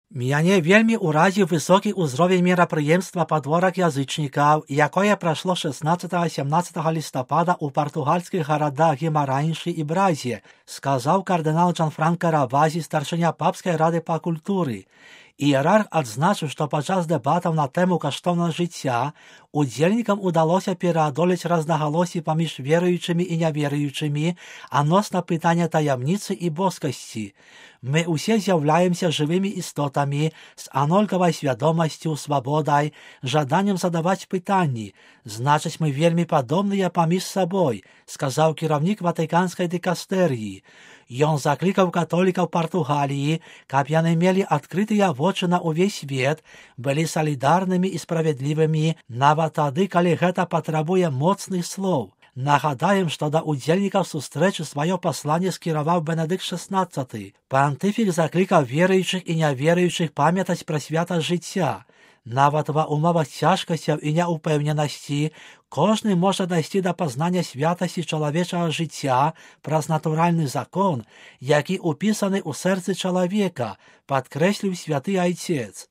Мяне вельмі ўразіў высокі ўзровень мерапрыемства падворак язычнікаў, якое прайшло 16-17 лістапада ў партугальскіх гарадах Гемараньшы і Бразе, сказаў кардынал Джанфранка Равазі, старшыня папскай рады па культуры. Іерарх адзначыў, што падчас дэбатаў на тэму каштоўнага жыцця удзельнікам удалося пераадолець рознагалоссі паміж веруючымі і няверуючымі адносна пытання таямніцы і боскасці. Мы ўсе з'яўляемся жывымі істотамі з анолькавай свядомасцю, свабодай, жаданнем задаваць пытанні. Значыць, мы вельмі падобныя паміж сабой, сказаў кіраўнік ватыканскай дыкастэрыі. Ён заклікаў католікаў Партугаліі, каб яны мелі адкрытыя вочы на ўвесь свет, былі салідарнымі і справядлівымі, нават тады, калі гэта патрабуе моцных слоў. Нагадаем, што да удзельнікаў сустрэчы сваё пасланне скіраваў Бенедыкт XVI. Пантыфік заклікаў веруючых і няверуючых памятаць пра святасць жыцця. Нават ва ўмовах цяжкасцяў і няўпэўненасці кожны можа дайсці да пазнання святасці чалавечага жыцця праз натуральны закон, які ўпісаны ў сэрцы чалавека, падкрэсліў святы айцец.